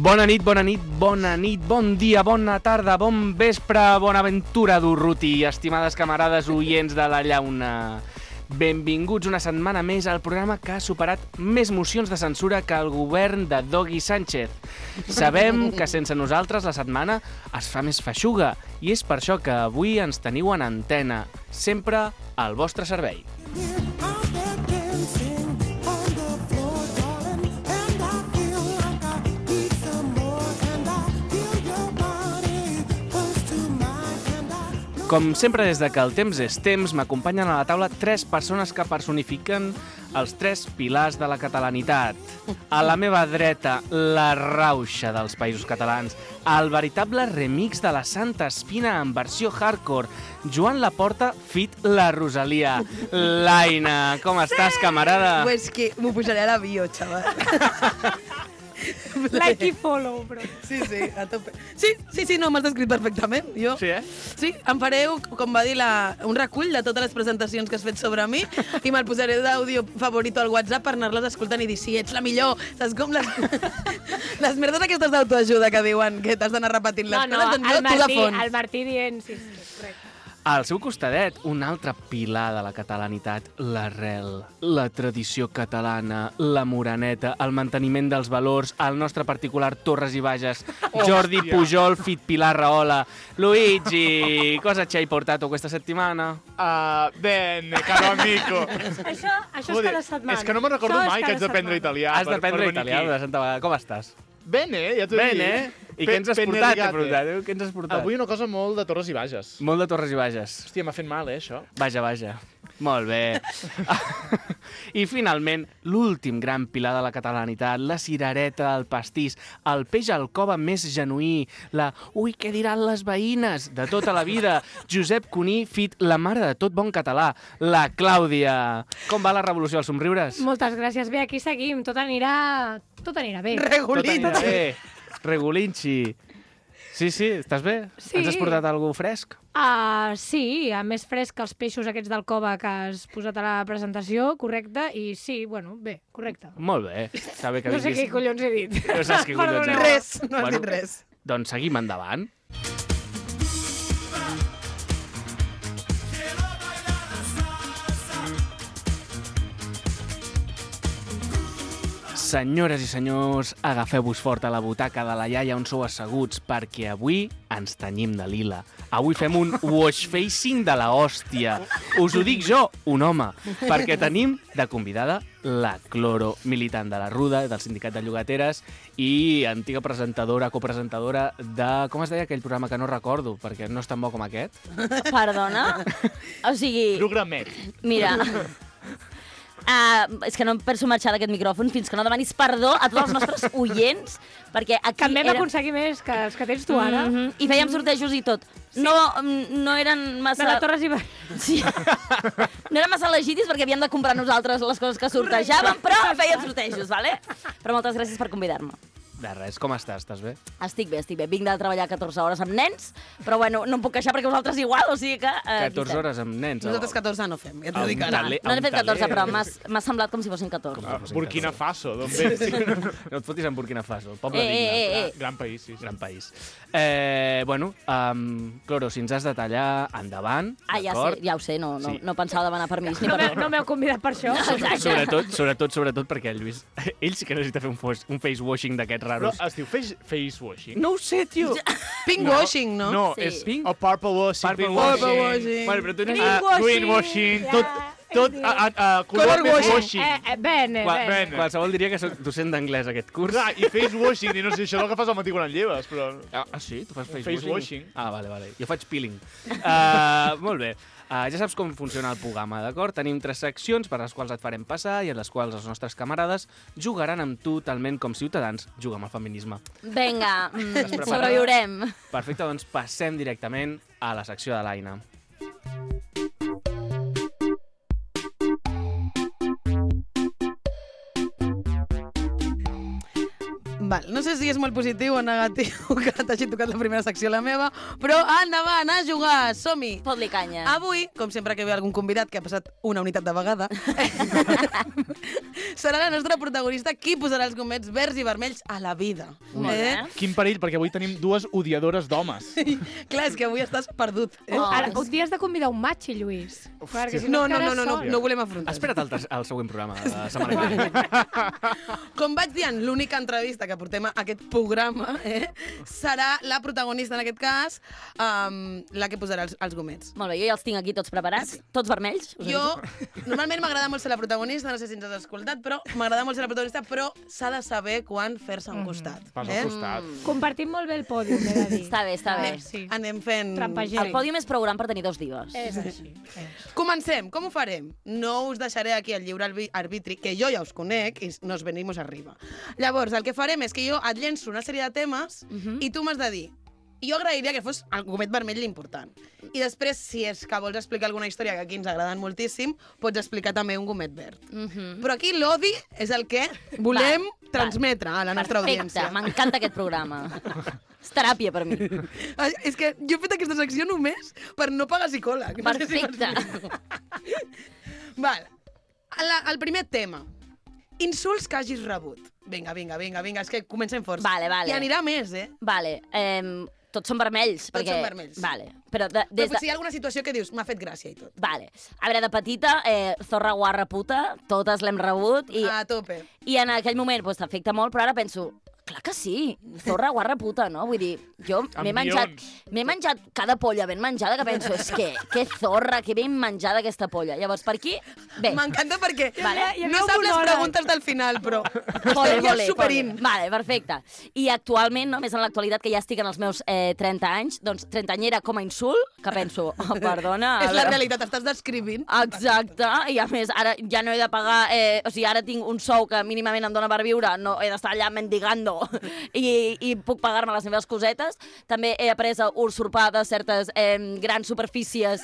Bona nit, bon dia, bona tarda, bon vespre, bona aventura d'Urruti, estimades camarades oients de la llauna. Benvinguts una setmana més al programa que ha superat més mocions de censura que el govern de Dogui Sánchez. Sabem que sense nosaltres la setmana es fa més feixuga i és per això que avui ens teniu en antena, sempre al vostre servei. Com sempre, des de que el temps és temps, m'acompanyen a la taula 3 persones que personifiquen els 3 pilars de la catalanitat. A la meva dreta, la rauxa dels països catalans, el veritable remix de la Santa Espina en versió hardcore, Joan Laporta fit la Rosalia. L'Aina, com estàs, camarada? Pues que m'ho posaré a la bio, xaval. Like i follow, bro. Sí, a tope. Sí, no, m'has descrit perfectament. Jo, Sí, Sí, em faré, com va dir, un recull de totes les presentacions que has fet sobre mi i me'l posaré d'àudio favorito al WhatsApp per anar-les escoltant i dir, sí, ets la millor. Saps com les merdes aquestes d'autoajuda que diuen que t'has d'anar repetint les coses, doncs jo, tu de fons. El Martí dient, sí, correcte. Al seu costadet, un altre pilar de la catalanitat, l'arrel, la tradició catalana, la moreneta, el manteniment dels valors, el nostre particular Torres i Bages, Jordi Pujol, fit Pilar Rahola. Luigi, cosa ci hai portato questa settimana? Bene, caro amico. Això és cada setmana. És que no me'n recordo mai que haig d'aprendre italià. Has d'aprendre italià, de Santa Vegada. Com estàs? Bene, ja t'ho dic. Bene. I què ens has portat? Què ens has portat? Avui una cosa molt de Torres i Bages. Molt de Torres i Bages. Hòstia, m'ha fet mal, això. Vaja. Molt bé. I finalment, l'últim gran pilar de la catalanitat, la cirereta, el pastís, el peix al cova més genuí, la «ui, què diran les veïnes» de tota la vida, Josep Cuní, fit la mare de tot bon català, la Clàudia. Com va la revolució dels somriures? Moltes gràcies. Bé, aquí seguim. Tot anirà bé. Regulito. Tot anirà bé. Regulinxi. Sí, estàs bé? Sí. Ens has portat alguna fresc? Sí, més fresc que els peixos aquests del cova que has posat a la presentació, correcte, i sí, bé, correcte. Molt bé. Està bé que No sé vinguis. què collons he dit. No saps què collons he dit. Res, no has dit res. Doncs seguim endavant. Senyores i senyors, agafeu-vos fort a la butaca de la iaia on sou asseguts, perquè avui ens tenyim de lila. Avui fem un wash facing de la hòstia. Us ho dic jo, un home, perquè tenim de convidada la Cloro, militant de la Ruda, del Sindicat de Llogateres i antiga presentadora, copresentadora de... Com es deia aquell programa que no recordo, perquè no és tan bo com aquest? Perdona? O sigui... Programet. Mira... és que no em penso marxar d'aquest micròfon fins que no demanis perdó a tots els nostres oients, perquè aquí Que vam aconseguir més que els que tens tu ara. I fèiem sortejos i tot. Sí. No eren massa... De la Torres i Bages. Sí. No eren massa legítims perquè havíem de comprar nosaltres les coses que sortejàvem, però fèiem sortejos, vale? Però moltes gràcies per convidar-me. De res, com estàs? Estàs bé? Estic bé. Vinc de treballar 14 hores amb nens, però bueno, no em puc queixar perquè vosaltres igual, o sigui que... 14 hores amb nens. Nosaltres 14 no fem, ja t'ho dic ara. No n'he fet 14, però m'ha semblat com si fossin 14. Burkina Faso, d'on vens? No et fotis en Burkina Faso, el poble digne. Gran país, sí. Gran país. Cloro, si ens has de tallar, endavant, Ja ho sé, no pensava demanar permís ni per... No m'heu convidat per això. Sobretot perquè el Lluís, ell sí que necessita fer un face washing d'aquests Però raros. es diu face washing? No ho sé, tio. Pink washing, no? No, Sí. és pink o purple washing. Purple washing. Bueno, però tu Green Green washing, tot Color color washing. washing. Bene. Qualsevol diria que soc docent d'anglès aquest curs. Clar, i face washing, i no sé, això és el que fas al matí quan et lleves, però... Sí? Tu fas face Face washing? washing. Vale. Jo faig peeling. Molt bé. Ja saps com funciona el programa, d'acord? Tenim 3 seccions per les quals et farem passar i en les quals els nostres camarades jugaran amb tu talment com ciutadans juguen amb el feminisme. Vinga, preparada? sobreviurem. Perfecte, doncs passem directament a la secció de l'Aina. Val, no sé si és molt positiu o negatiu que t'hagi tocat la primera secció la meva, però endavant, a jugar, som-hi! Fot-li canya. Avui, com sempre que ve algun convidat que ha passat una unitat de vegada, serà la nostra protagonista qui posarà els gomets verds i vermells a la vida. Molt bé. Quin perill, perquè avui tenim dues odiadores d'homes. Clar, és que avui estàs perdut. Ara, un dia has de convidar un matxi, Lluís. Perquè si No quedes sol. ho volem afrontar. Espera't al següent programa de la setmana que ve. Com vaig dir en l'única entrevista que portem a aquest programa, serà la protagonista, en aquest cas, la que posarà els gomets. Molt bé, jo ja els tinc aquí tots preparats, tots vermells. Jo, normalment m'agrada molt ser la protagonista, no sé si ens has escoltat, però m'agrada molt ser la protagonista, però s'ha de saber quan fer-se a un costat. Pas al costat. Compartim molt bé el pòdium, he de dir. Està bé, està bé. Sí. Anem fent... Trampegem. El pòdium és prou gran per tenir dos divas. És així. Comencem. Com ho farem? No us deixaré aquí el lliure arbitri, que jo ja us conec i nos venimos arriba. Llavors, el que farem és que jo et llenço una sèrie de temes i tu m'has de dir. Jo agrairia que fos el gomet vermell l'important. I després, si és que vols explicar alguna història que aquí ens agraden moltíssim, pots explicar també un gomet verd. Però aquí l'odi és el que volem transmetre a la nostra audiència. Perfecte, m'encanta aquest programa. És teràpia per mi. És que jo he fet aquesta secció només per no pagar psicòleg. No sé si Perfecte. m'explico. Val. El primer tema. Insults que hagis rebut. Vinga, és que comencem força. Vale. I anirà més, Vale, tots són vermells. Tots són vermells. Vale, però Però des de... potser hi ha alguna situació que dius, m'ha fet gràcia i tot. Vale. A veure, de petita, zorra, guarra, puta, totes l'hem rebut. A tope. I en aquell moment pues, t'afecta molt, però ara penso, clar que sí, zorra, guarra, puta, no? Vull dir, jo m'he menjat cada polla ben menjada que penso, és que zorra, que ben menjada aquesta polla. Llavors, per aquí, bé. M'encanta perquè Vale. no sap les preguntes del final, però Vale, estem ja superint. Vale, perfecte. I actualment, no, més en l'actualitat, que ja estic en els meus 30 anys, doncs trentanyera com a insult, que penso, oh, perdona... És la realitat, estàs descrivint. Exacte, i a més, ara ja no he de pagar... o sigui, ara tinc un sou que mínimament em dona per viure, no he d'estar allà mendigando i puc pagar-me les meves cosetes. També he après a usurpar de certes grans superfícies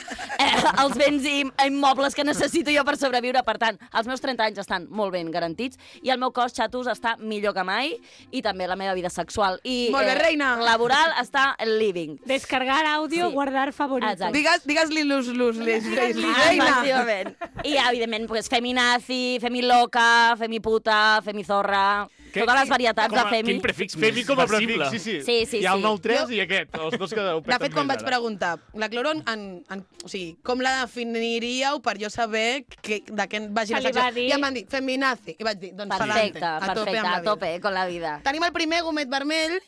els béns i immobles que necessito jo per sobreviure. Per tant, els meus 30 anys estan molt ben garantits i el meu cos, xatos, està millor que mai i també la meva vida sexual i Molt bé, reina. laboral està living. Descargar àudio, Sí. guardar favorito. Exacte. Digues-li reina. Efectivament. I, evidentment, pues, femi nazi, femi loca, femi puta, femi zorra... Totes les varietats de femi. Quin prefix Femi més com a versible. prefix, Sí. Hi ha el 9-3 i aquest, els dos que ho De peten fet, quan més vaig ara. preguntar, la cloro, o sigui, com la definiríeu per jo saber de què vagi la Se li va secció? dir- I em van dir, feminazi. I vaig dir, doncs Perfecte, pa'lante, perfecte, amb a tope, con la vida. Tenim el primer gomet vermell.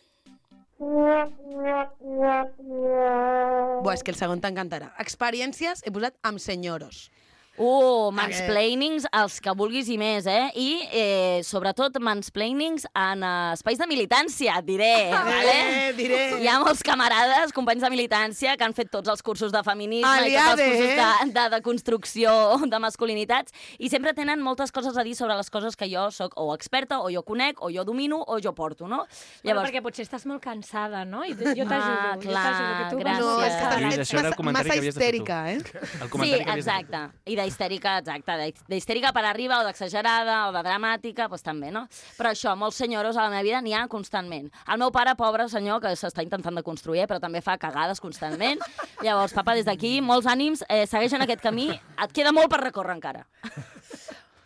Buah, és que el segon t'encantarà. Experiències he posat amb senyoros. Mansplainings, els que vulguis i més, I sobretot mansplainings en espais de militància, diré. Vale? Diré. Hi ha molts camarades, companys de militància, que han fet tots els cursos de feminisme i tots Aliade, els cursos de construcció de masculinitats i sempre tenen moltes coses a dir sobre les coses que jo sóc o experta, o jo conec, o jo domino, o jo porto, no? Bueno, perquè potser estàs molt cansada, no? I jo t'ajudo, clar, que tu gràcies. No, és que Lluís, ets això era el comentari massa que havies de fer tu. histèrica, El Sí, comentari que havies de fer tu. exacte. I d'histèrica, exacte. D'histèrica per arriba, o d'exagerada, o de dramàtica, doncs també, no? Però això, molts senyoros a la meva vida n'hi ha constantment. El meu pare, pobre senyor, que s'està intentant de construir, però també fa cagades constantment. Llavors, papa, des d'aquí, molts ànims, segueix en aquest camí. Et queda molt per recórrer encara.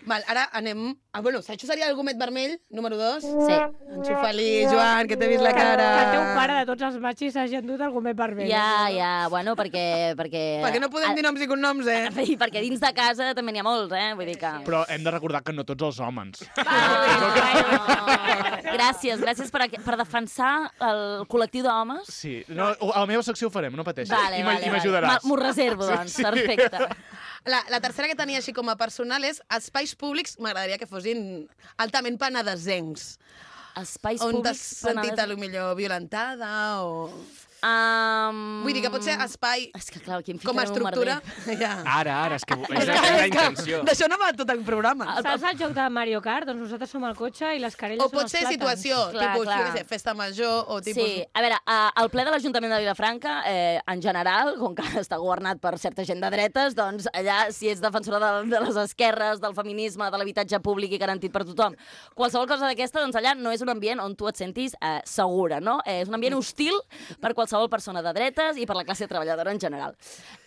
Val, ara anem... bueno, això seria el gomet vermell, número 2. Sí. Enxufa-li, Joan, que t'he vist la Que cara. el teu pare de tots els machis hagi endut el gomet vermell. Ja, bueno, perquè... Perquè no podem dir noms i cognoms, I perquè dins de casa també n'hi ha molts, Vull dir que... Però hem de recordar que no tots els homes. Gràcies per defensar el col·lectiu d'homes. Sí, no, a la meva secció ho farem, no pateixis. Vale, I m'ajudaràs. M'ho reservo, doncs. Sí. Perfecte. La tercera que tenia així com a personal és espais públics, m'agradaria que fossin altament penedesencs. Espais On t'has públics... sentit a lo millor violentada o... Vull dir que pot ser espai És que, clar, aquí em com a ficarem un estructura. merder. Ja. Ara, és que és la intenció. D'això no va tot el programa. Saps el joc de Mario Kart? Doncs nosaltres som el cotxe i les querelles O són pot els ser plàtans. situació, Clar, tipus, clar. jo què sé, festa major o tipus... Sí, a veure, el ple de l'Ajuntament de Vilafranca, en general, com que està governat per certa gent de dretes, doncs allà, si ets defensora de les esquerres, del feminisme, de l'habitatge públic i garantit per tothom, qualsevol cosa d'aquesta, doncs allà no és un ambient on tu et sentis segura, no? És un ambient hostil per qualsevol persona de dretes i per la classe treballadora en general.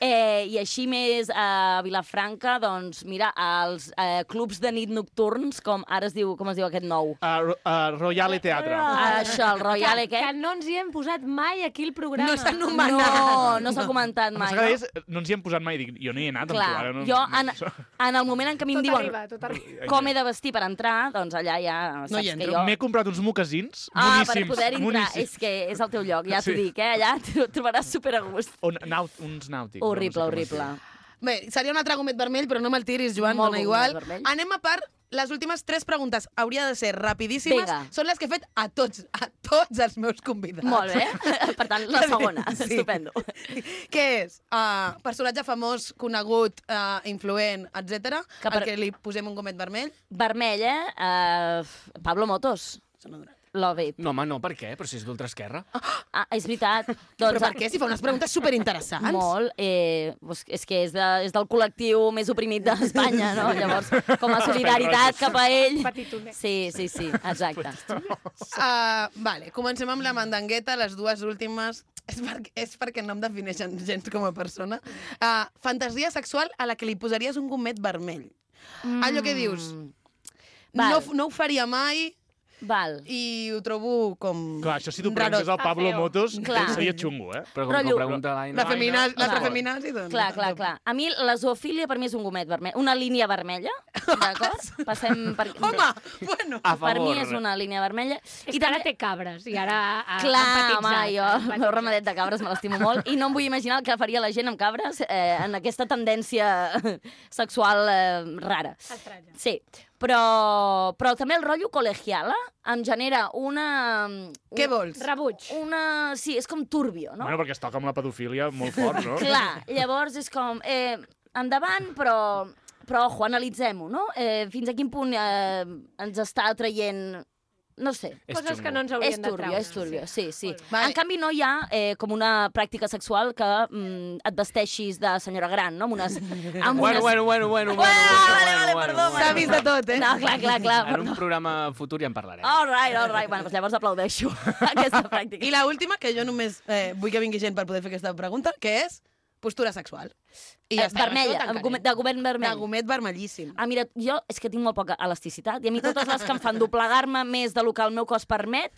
I així més a Vilafranca, doncs, mira, els clubs de nit nocturns, com ara es diu, com es diu aquest nou? Royale Teatre. Això, el Royale, què? Que no ens hi hem posat mai aquí el programa. No s'ha anomenat. No s'ha comentat Em mai. sembla que no ens hi hem posat mai. Dic, jo no hi he anat amb tu. Clar, Ara no... jo en el moment en què a mi em Tot diuen arriba, tot arriba. com he de vestir per entrar, doncs allà ja No saps hi que entro. jo... M'he comprat uns mocasins per moníssims. poder entrar, moníssims. és que és el teu lloc, ja t'ho Sí. dic, allà t'ho trobaràs super a gust. Uns nàutics. Horrible, no sé com es horrible. diu. Bé, seria un altre gomet vermell, però no me'l tiris, Joan, Molt dona bon igual. gomet vermell. Anem a part, les últimes 3 preguntes hauria de ser rapidíssimes. Vinga. Són les que he fet a tots els meus convidats. Molt bé, per tant, la segona, Sí. estupendo. Què és? Personatge famós, conegut, influent, etc. Que per- Al que li posem un gomet vermell. Vermell, Pablo Motos. Love it. No, home, no, per què? Però si és d'ultraesquerra. Ah, és veritat. Però per què? Si fa unes preguntes superinteressants. Molt. És que és del col·lectiu més oprimit d'Espanya, no? Llavors, com a solidaritat cap a ell... Petitonet. Sí, exacte. Vale, comencem amb la mandangueta, les dues últimes. És perquè no em defineixen gens com a persona. Fantasia sexual a la que li posaries un gomet vermell. Allò que dius, Val. no ho faria mai Val. i ho trobo com... Clar, això si t'ho preguntés al Pablo feo. Motos, Clar. seria xungo, Però com Rotllo. que ho pregunta l'Aina... L'altra Clar. feminazi, doncs... Clar. A mi la zoofília per mi és un gomet vermell. Una línia vermella, d'acord? Passem per... Home, bueno... A Per mi favor. és una línia vermella. És que ara té cabres i ara ha Clar, empatitzat, home, jo ha el meu empatitzat. remedet de cabres me l'estimo molt i no em vull imaginar el que faria la gent amb cabres en aquesta tendència sexual rara. Estranya. Sí, però també el rotllo col·legiala em genera una... Què vols? Rebuig. Sí, és com turbio, no? Bueno, perquè es toca amb la pedofília molt fort, no? Clar, llavors és com... endavant, però ojo, analitzem-ho, no? Fins a quin punt ens està atraient... No sé. És Coses xungo. que no ens És haurien de turbio, treure. és turbio, sí. Vale. En canvi, no hi ha com una pràctica sexual que et vesteixis de senyora gran, no? Bueno. Vale, perdó. S'ha vist de tot, eh? No, clar. En un programa futur ja en parlarem. All right. Bueno, doncs llavors aplaudeixo aquesta pràctica. I la última, que jo només vull que vingui gent per poder fer aquesta pregunta, que és postura sexual. I ja està, Vermella, amb això ho tancarem. de govern vermell. De gomet vermellíssim. Mira, jo és que tinc molt poca elasticitat i a mi totes les que em fan doblegar-me més del que el meu cos permet,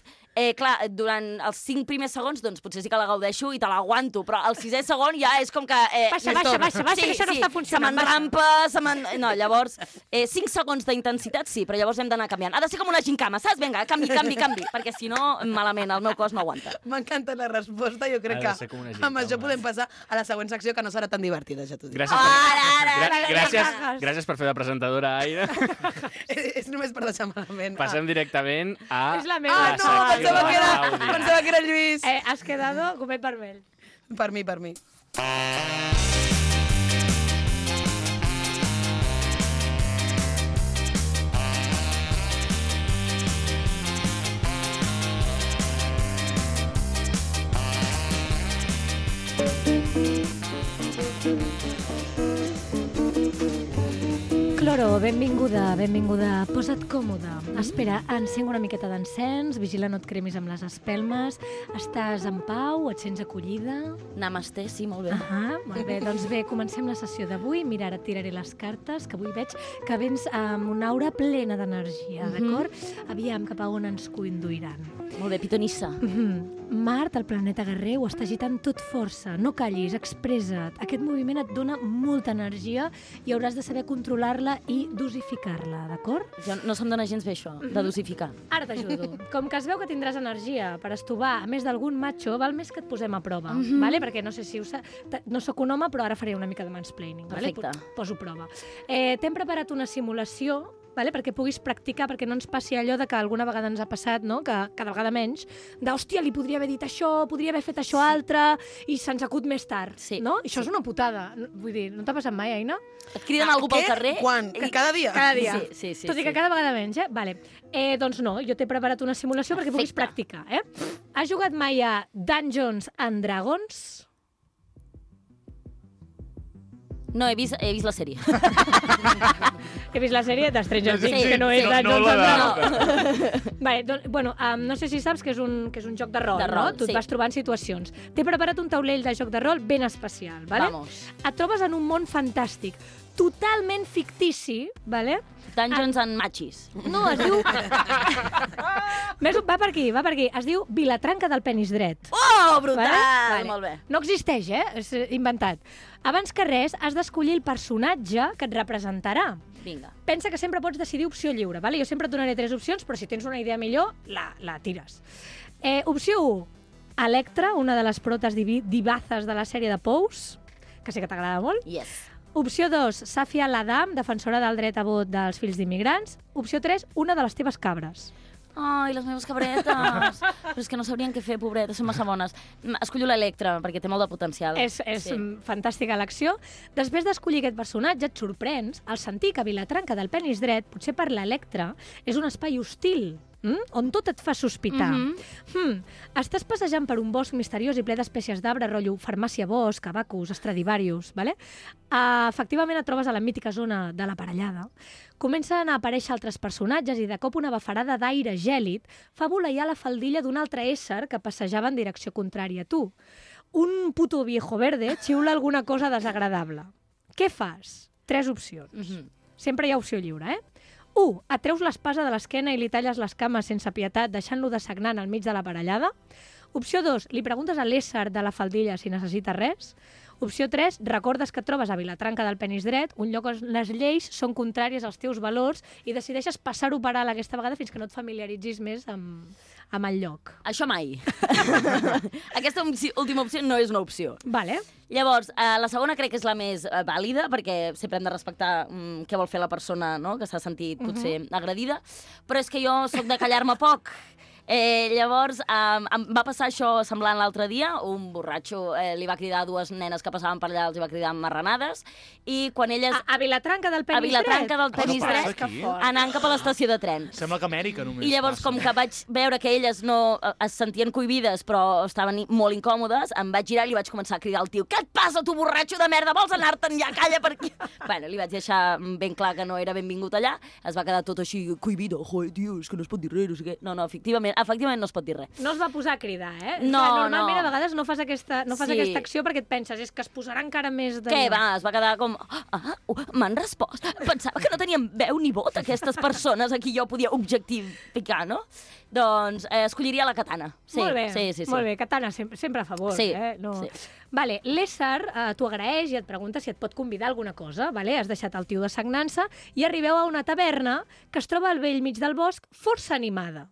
clar, durant els 5 primers segons, doncs potser sí que la gaudeixo i te l'aguanto, però al 6è segon ja és com que... Baixa, que això no està funcionant. Se m'enrampa, no, llavors, 5 segons d'intensitat sí, però llavors hem d'anar canviant. Ha de ser com una gincama, saps? Vinga, canvi, perquè si no, malament, el meu cos no aguanta. M'encanta la resposta, jo crec Ha de que ser com una amb això gincama. podem passar a la següent secció, que no serà tan divertida, ja t'ho dic. Gràcies per fer de presentadora, Aina. És només per deixar malament. Passem directament a... És la meva. No, secció pensava que era Lluís. Has quedado gomet vermell. Per mi. Cloro, benvinguda. Posa't còmode. Espera, encenc una miqueta d'encens, vigila no et cremis amb les espelmes, estàs en pau, et sents acollida. Namasté, sí, molt bé. Molt bé, doncs bé, comencem la sessió d'avui. Mira, ara et tiraré les cartes, que avui veig que vens amb una aura plena d'energia, d'acord? Aviam, cap a on ens conduiran. Molt bé, pitonissa. Mart, el planeta guerrer, ho està agitant tot força. No callis, expressa't. Aquest moviment et dona molta energia i hauràs de saber controlar-la i dosificar-la, d'acord? Jo no se'm dona gens bé això, de dosificar. Ara t'ajudo. Com que es veu que tindràs energia per estovar a més d'algun macho, val més que et posem a prova, vale? Perquè no sé si no sóc un home, però ara faré una mica de mansplaining. Perfecte. Vale? Poso prova. T'hem preparat una simulació perquè puguis practicar, perquè no ens passi allò de que alguna vegada ens ha passat, no? Que cada vegada menys, d'hòstia, li podria haver dit això, podria haver fet això altre, i se'ns acut més tard, no? I això és una putada. Vull dir, no t'ha passat mai, Aina? Et criden algú pel carrer? Quan? Cada dia? Cada dia. Sí. Tot i que cada vegada menys, Vale. Doncs no, jo t'he preparat una simulació perquè puguis practicar, Has jugat mai a Dungeons and Dragons? No, he vist la sèrie. He vist la sèrie de Stranger Things, que no és Dungeons and Dragons. Vale, doncs, no sé si saps que és un joc de rol, no? Tu et vas trobant situacions. T'he preparat un taulell de joc de rol ben especial, vale? Vamos. Et trobes en un món fantàstic, totalment fictici, vale? Dungeons and Machis. No, es diu... Va per aquí. Es diu Vilatranca del Penis Dret. Oh, brutal! Vale? Molt bé. No existeix, és inventat. Abans que res, has d'escollir el personatge que et representarà. Vinga. Pensa que sempre pots decidir opció lliure, vale? Jo sempre et donaré 3 opcions, però si tens una idea millor, la tires. Opció 1, Electra, una de les protes divazes de la sèrie de Pose, que sé que t'agrada molt. Yes. Opció 2, Safia Ladam, defensora del dret a vot dels fills d'immigrants. Opció 3, una de les teves cabres. Ai, les meves cabretes. Però és que no sabrien què fer, pobretes, són massa bones. Escollo l'Electra, perquè té molt de potencial. És fantàstica elecció. Després d'escollir aquest personatge, et sorprens al sentir que Vilatranca del Penis Dret, potser per l'Electra, és un espai hostil, on tot et fa sospitar. Estàs passejant per un bosc misteriós i ple d'espècies d'arbre, rotllo farmàcia bosc, abacus, Stradivarius, vale? Efectivament et trobes a la mítica zona de l'aparellada. Comencen a aparèixer altres personatges i de cop una bafarada d'aire gèlid fa voleiar la faldilla d'un altre ésser que passejava en direcció contrària a tu. Un puto viejo verde xiula alguna cosa desagradable. Què fas? 3 opcions. Sempre hi ha opció lliure, 1. Et treus l'espasa de l'esquena i li talles les cames sense pietat, deixant-lo dessagnant al mig de l'aparellada. Opció 2. Li preguntes a l'ésser de la faldilla si necessita res. Opció 3. Recordes que et trobes a Vilatranca del Penis Dret, un lloc on les lleis són contràries als teus valors i decideixes passar-ho per alt aquesta vegada fins que no et familiaritzis més amb el lloc. Això mai. Aquesta última opció no és una opció. Vale. Llavors, la segona crec que és la més vàlida, perquè sempre hem de respectar què vol fer la persona, no?, que s'ha sentit potser agredida, però és que jo sóc de callar-me poc. Llavors, em va passar això semblant l'altre dia. Un borratxo li va cridar a 2 nenes que passaven per allà, els va cridar marranades, i quan elles... A Vilatranca del Penis Dret? A Vilatranca del Penis Dret, anant cap a l'estació de tren. Sembla que Amèrica només. I llavors, com que vaig veure que elles no es sentien cohibides, però estaven molt incòmodes, em vaig girar i li vaig començar a cridar al tio: què et passa, tu borratxo de merda? Vols anar-te'n ja? Calla per aquí! Bueno, li vaig deixar ben clar que no era benvingut allà. Es va quedar tot així cohibido. Joder, tio, és que no es pot dir res, no sé què. No, efectivament no es pot dir res. No es va posar a cridar, No, normalment a vegades no fas aquesta acció perquè et penses, és que es posarà encara més de... Què va? Es va quedar com... m'han respost. Pensava que no tenien veu ni vot aquestes persones a qui jo podia objectificar, no? Doncs escolliria la katana. Sí, molt bé, sí. molt bé. Katana sempre a favor. Sí, no. sí. Vale, l'ésser t'ho agraeix i et pregunta si et pot convidar a alguna cosa. Vale? Has deixat el tio dessagnant-se i arribeu a una taverna que es troba al vell mig del bosc, força animada.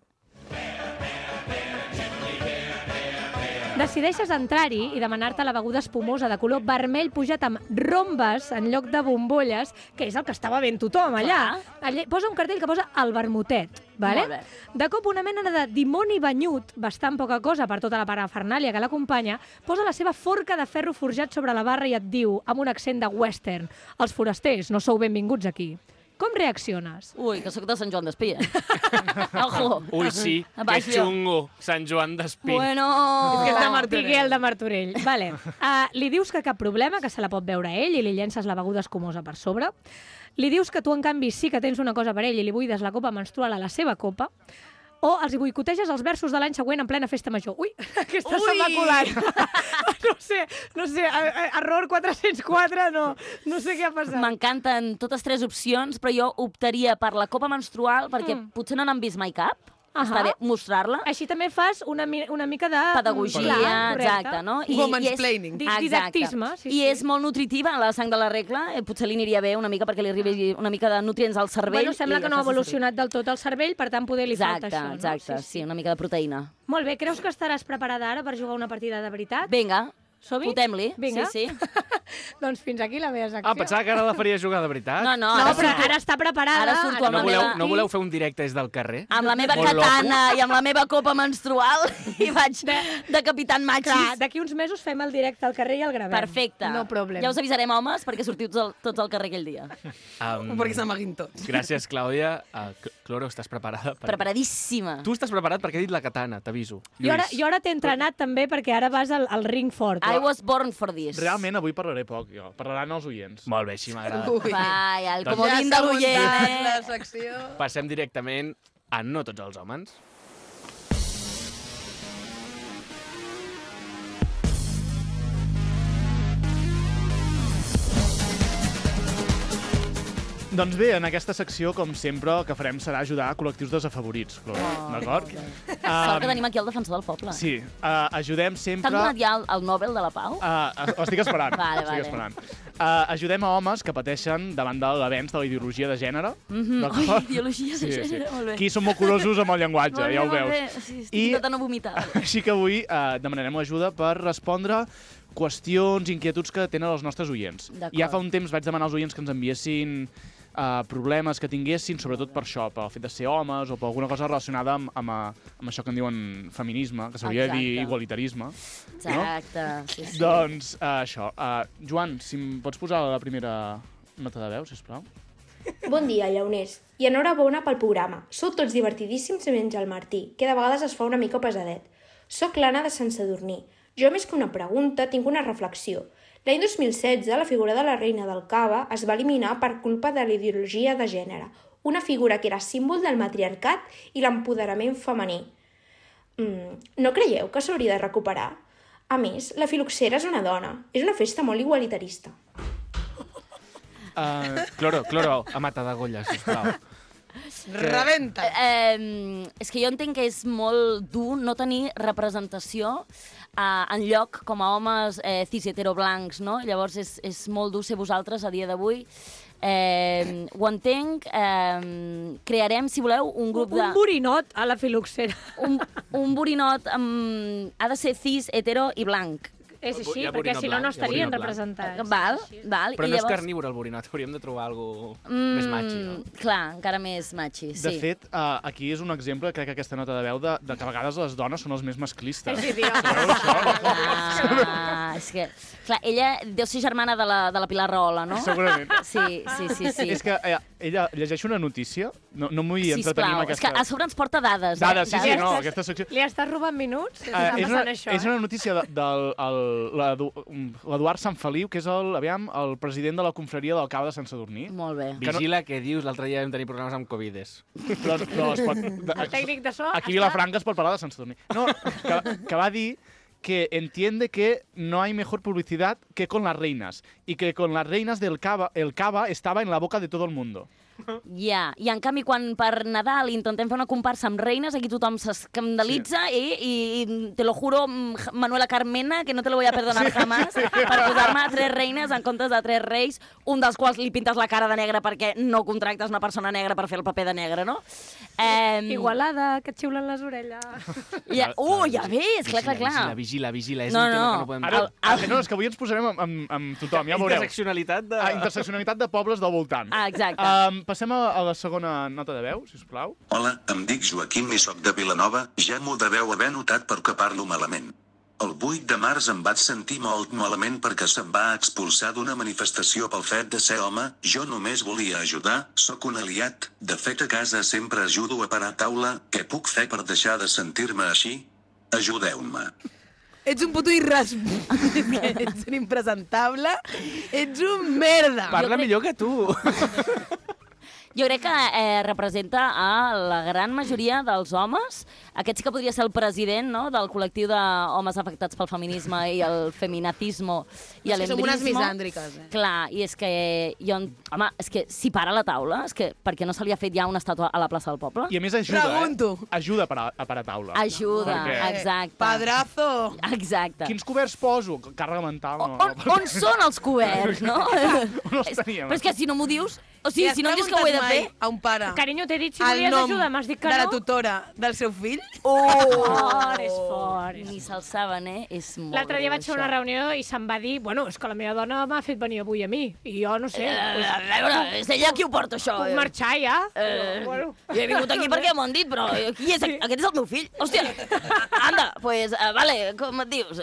Decideixes entrar-hi i demanar-te la beguda espumosa de color vermell pujat amb rombes en lloc de bombolles, que és el que estava ben tothom allà. Posa un cartell que posa el vermutet. Vale? Molt bé. De cop una mena de dimoni banyut, bastant poca cosa per tota la parafernàlia que l'acompanya, posa la seva forca de ferro forjat sobre la barra i et diu, amb un accent de western: els forasters no sou benvinguts aquí. Com reacciones? Ui, que sóc de Sant Joan d'Espí, Ojo. Ui, sí, que xungo, Sant Joan d'Espí. Bueno... És que és de Martorell. De Martorell. Vale. Li dius que cap problema, que se la pot beure ell, i li llences la beguda escumosa per sobre. Li dius que tu, en canvi, sí que tens una cosa per ell i li buides la copa menstrual a la seva copa. O els boicoteges els versos de l'any següent en plena festa major. Ui, aquesta se m'ha colat. No sé, error 404, no sé què ha passat. M'encanten totes 3 opcions, però jo optaria per la copa menstrual perquè potser no n'han vist mai cap. Està bé mostrar-la. Així també fas una mica de... pedagogia, exacte, no? Womansplaining. Didactisme. I és molt nutritiva, la sang de la regla. Potser li aniria bé una mica perquè li arribi una mica de nutrients al cervell. Bueno, sembla que no ha evolucionat del tot el cervell, per tant, poder li falta això, no? Exacte, sí, una mica de proteïna. Molt bé, creus que estaràs preparada ara per jugar una partida de veritat? Vinga. Som-hi? Fotem-li, Vinga. sí. Doncs fins aquí la meva secció. Pensava que ara la faria jugar de veritat. No, No, però ara està preparada. Ara surto amb No la voleu, meva... no voleu fer un directe des del carrer? Amb la meva Molt katana i amb la meva copa menstrual i vaig de Capitán Clar, Machis. d'aquí uns mesos fem el directe al carrer i el gravem. Perfecte. No problem. Ja us avisarem, homes, perquè sortiu tots al carrer aquell dia. Perquè s'amaguin tots. Gràcies, Clàudia. Cloro, estàs preparada? Preparadíssima. Tu estàs preparat perquè he dit la katana, t'aviso. Jo ara t'he entrenat també perquè ara vas al ring fort. I was born for this. Realment, avui parlaré poc, jo. Parlaran els oients. Molt bé, així m'agrada. Vai, el Doncs comodín de l'oient, la secció. Passem directament a No tots els homes. Doncs bé, en aquesta secció, com sempre, el que farem serà ajudar a col·lectius desafavorits, d'acord? Sort que tenim aquí el defensor del poble. Sí, ajudem sempre... T'han donat ja el Nobel de la Pau? L'estic esperant. Vale. Estic esperant. Ajudem a homes que pateixen davant de l'avenç de la ideologia de gènere. Ui, ideologia de gènere, molt bé. Aquí som molt curosos amb el llenguatge, ja ho veus. Sí, estic intentant no vomitar. Així que avui demanarem ajuda per respondre qüestions, inquietuds que tenen els nostres oients. Ja fa un temps vaig demanar als oients que ens enviessin problemes que tinguessin, sobretot per això, pel fet de ser homes o per alguna cosa relacionada amb això que en diuen feminisme, que s'hauria de dir igualitarisme. Exacte, sí. Doncs això. Joan, si em pots posar la primera nota de veu, sisplau. Bon dia, llauners, i enhorabona pel programa. Sou tots divertidíssims menys el Martí, que de vegades es fa una mica pesadet. Soc l'Anna de Sant Sadurní. Jo, més que una pregunta, tinc una reflexió. L'any 2016, la figura de la reina del Cava es va eliminar per culpa de la ideologia de gènere, una figura que era símbol del matriarcat i l'empoderament femení. No creieu que s'hauria de recuperar? A més, la filoxera és una dona. És una festa molt igualitarista. Cloro, a mata d'agolla, sisplau. Rebenta! És que jo entenc que és molt dur no tenir representació en lloc com a homes cis heteroblancs, no? Llavors és molt dur ser vosaltres a dia d'avui. Ho entenc. Crearem, si voleu, un grup de... Un borinot a la filoxera. Un borinot ha de ser cis, hetero i blanc. És així, Hi ha perquè borinot si no, no blanc, hi ha estarien borinot representats. Val. Però I no és llavors... carnívor el borinot, hauríem de trobar alguna més machi, no? Clar, encara més machi, sí. De fet, aquí és un exemple, crec que aquesta nota de veu, de que a vegades les dones són els més masclistes. És idiota. És que, clar, ella deu ser germana de la Pilar Rahola, no? Segurament. Sí. És que ella llegeix una notícia, no m'ho vull entretenir amb Sisplau, és aquesta... que a sobre ens porta dades. Dades, sí, Dades. no, aquesta secció... Li estàs robant minuts? Està passant això, és una notícia l'Eduard Sant Feliu, que és el president de la confraria del Cava de Sant Sadurní. Molt bé. Vigila què dius, l'altre dia vam tenir problemes amb Covides. Però es pot... El tècnic de so Aquí a Vilafranca es pot parlar de Sant Sadurní. No, que va dir que entiende que no hay mejor publicidad que con las reinas y que con las reinas del Cava, el Cava estaba en la boca de todo el mundo. Ja, i en canvi quan per Nadal intentem fer una comparsa amb reines, aquí tothom s'escandalitza i te lo juro, Manuela Carmena, que no te lo voy a perdonar jamás, per posar-me 3 reines en comptes de 3 reis, un dels quals li pintes la cara de negre perquè no contractes una persona negra per fer el paper de negre, no? Igualada, que et xiulen les orelles. Ja ves, clar. Vigila, és un tema que no podem... No, és que avui ens posarem amb tothom, ja veureu. Interseccionalitat de pobles del voltant. Exacte. Passem a la segona nota de veu, sisplau. Hola, em dic Joaquim i soc de Vilanova, ja m'ho deveu haver notat perquè parlo malament. El 8 de març em vaig sentir molt malament perquè se'm va expulsar d'una manifestació pel fet de ser home, jo només volia ajudar, sóc un aliat, de fet a casa sempre ajudo a parar taula, què puc fer per deixar de sentir-me així? Ajudeu-me. Ets un puto ets un impresentable, ets un merda. Parla millor que tu. Jo crec que representa a la gran majoria dels homes. Aquest sí que podria ser el president, no?, del col·lectiu d'homes afectats pel feminisme i el feminacismo i l'embrismo. Som unes misàndriques, Clar, i és que home, és que si para la taula, és que per què no se li ha fet ja una estàtua a la plaça del poble? I a més ajuda, Pregunto. Ajuda a parar taula. Ajuda, exacte. Padrazo. Exacte. Quins coberts poso? Càrrega mental, no. On són els coberts, no? On els teníem? Però és que si no m'ho dius, O sigui, si no em dius que ho he de fer... a un pare Carinyo, t'he dit si el volies nom ajuda, m'has dit que de la no. tutora del seu fill? És fort. Ni se'l saben, És molt L'altre dia greu, vaig fer una això. reunió i se'm va dir, bueno, és que la meva dona m'ha fet venir avui a mi, i jo no sé, A veure, és ella qui ho porta, això. puc marxar ja. Bueno. Jo he vingut aquí perquè m'ho han dit, però qui és? Aquest és el meu fill. Hòstia, anda, pues, vale, com et dius?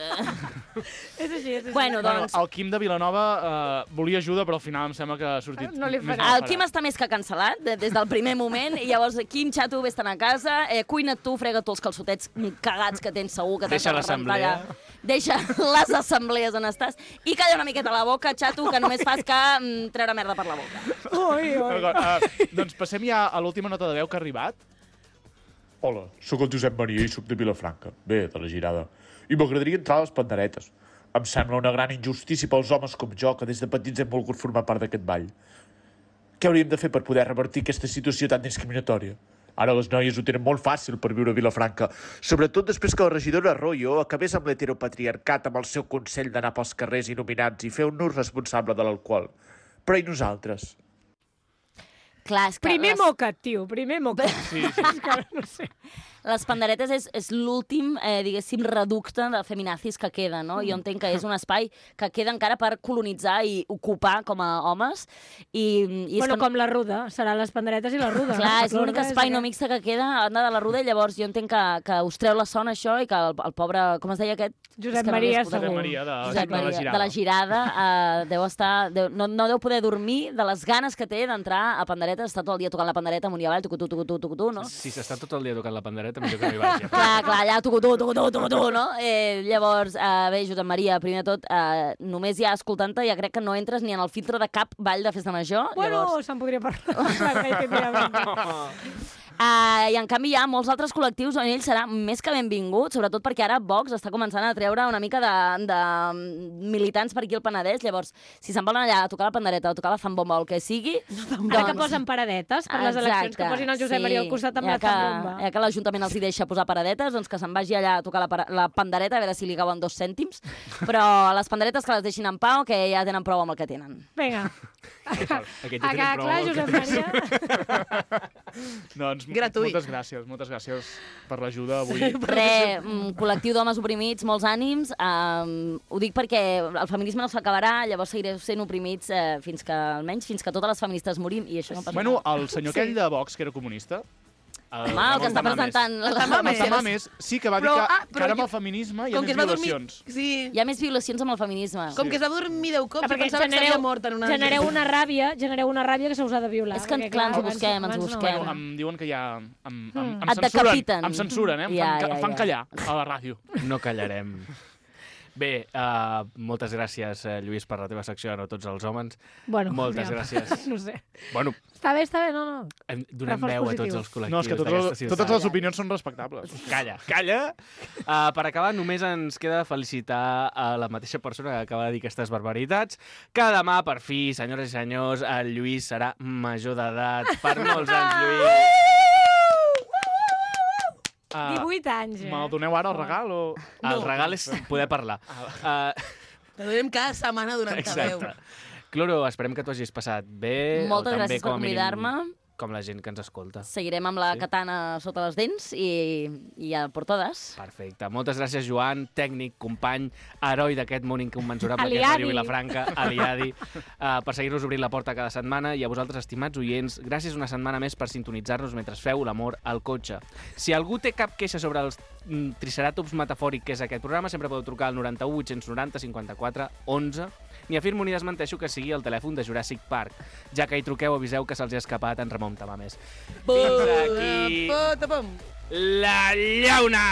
És així, és així. Bueno, doncs... El Quim de Vilanova volia ajuda, però al final em sembla que ha sortit... No li farà. El Quim està més que cancel·lat des del primer moment, i llavors, Quim, xato, vés-te'n a casa, cuina't tu, frega tu els calçotets cagats que tens segur, que t'has Deixa de l'assemblea. rentar allà. Deixa les assemblees on estàs, i calla una miqueta la boca, xato, que només fas que treure merda per la boca. Ui, ui. Doncs passem ja a l'última nota de veu que ha arribat. Hola, sóc el Josep Maria i sóc de Vilafranca, bé, de la Girada. I m'agradaria entrar a les panderetes. Em sembla una gran injustícia pels homes com jo, que des de petits hem volgut formar part d'aquest ball. Què hauríem de fer per poder revertir aquesta situació tan discriminatòria? Ara les noies ho tenen molt fàcil per viure a Vilafranca, sobretot després que la regidora Arroyo acabés amb l'heteropatriarcat amb el seu consell d'anar pels carrers il·luminats i fer un ús responsable de l'alcohol. Però i nosaltres? Clar, és que Primer moca't, tio, primer moca't. Sí. És que no sé. les panderetes és l'últim, diguéssim, reducte de feminazis que queda, no? Jo entenc que és un espai que queda encara per colonitzar i ocupar com a homes. I Bueno, com la Ruda, seran les panderetes i la Ruda. clar, és l'únic L'ordre espai no aquest. mixte que queda a banda de la Ruda, i llavors jo entenc que us treu la son això i que el pobre, com es deia aquest? Josep És que no l'he Maria escoltat. Segur. Maria de Josep la Maria, Girada. de la Girada, deu estar... No deu poder dormir de les ganes que té d'entrar a panderetes, està tot el dia tocant la pandereta amunt i avall, tucutú, no? Si s'està tot el dia tocant la pandereta, millor que no hi vagi. Clar, allà tucutú, no? Llavors, bé, Josep Maria, primer de tot, només ja escoltant-te ja crec que no entres ni en el filtre de cap ball de festa major. Bueno, Llavors... se'n podria parlar. I en canvi hi ha molts altres col·lectius on ell serà més que benvingut, sobretot perquè ara Vox està començant a treure una mica de militants per aquí al Penedès. Llavors, si se'n volen allà a tocar la pandereta o tocar la zambomba o el que sigui... Ara que posen paradetes per les eleccions, que posin el Josep Maria al costat amb la zambomba. Ja que l'Ajuntament els hi deixa posar paradetes, doncs que se'n vagi allà a tocar la pandereta, a veure si li cauen 2 cèntims. Però les panderetes que les deixin en pau, que ja tenen prou amb el que tenen. Vinga. Aquest A que clar, Josep Maria... Doncs Gratuït. moltes gràcies per l'ajuda avui. Col·lectiu d'homes oprimits, molts ànims. Ho dic perquè el feminisme no s'acabarà, llavors seguireu sent oprimits fins que totes les feministes morim, i això no passa. Bueno, el senyor aquell de Vox, que era comunista... Home, el que està presentant... El Tamames. Sí, que va dir Però, que ara amb el feminisme hi ha més violacions. Sí. Hi ha més violacions amb el feminisme. Com que es va dormir 10 cops, jo Perquè pensava que s'havia mort en una... genereu una ràbia que se us ha de violar. És que, perquè, clar, ens ho abans- busquem, ens ho abans no. busquem. Bueno, em diuen que ja... Em Et decapiten. censuren, em fan callar a la ràdio. No callarem. Bé, moltes gràcies, Lluís, per la teva secció, no tots els homes. Bueno, Moltes ja. gràcies. No sé. Bueno, Està bé, no. donem Reforç veu a positiu. tots els col·lectius No, és que d'aquesta ciutat. totes les opinions són respectables. Calla. Per acabar, només ens queda felicitar a la mateixa persona que acaba de dir aquestes barbaritats, que demà, per fi, senyores i senyors, el Lluís serà major d'edat. Per molts anys, Lluís. 18 anys, Me'l doneu ara el regal o...? El regal és poder parlar. Te donem cada setmana durant ta veu. Exacte. Cloro, esperem que t'ho hagis passat bé. Moltes o també, gràcies per com a mínim, convidar-me. Com la gent que ens escolta. Seguirem amb la katana sota les dents i a por totes. Perfecte. Moltes gràcies, Joan, tècnic, company, heroi d'aquest món incommensurable que és Aliadi. Ràdio Vilafranca, aliadi, per seguir-nos obrint la porta cada setmana, i a vosaltres, estimats oients, gràcies una setmana més per sintonitzar-nos mentre feu l'amor al cotxe. Si algú té cap queixa sobre els triceratops metafòric que és aquest programa, sempre podeu trucar al 91 890 54 11. Ni afirmo ni desmenteixo que sigui el telèfon de Jurassic Park. Ja que hi truqueu, aviseu que se'ls ha escapat en Ramon Tamames. Fins aquí la llauna!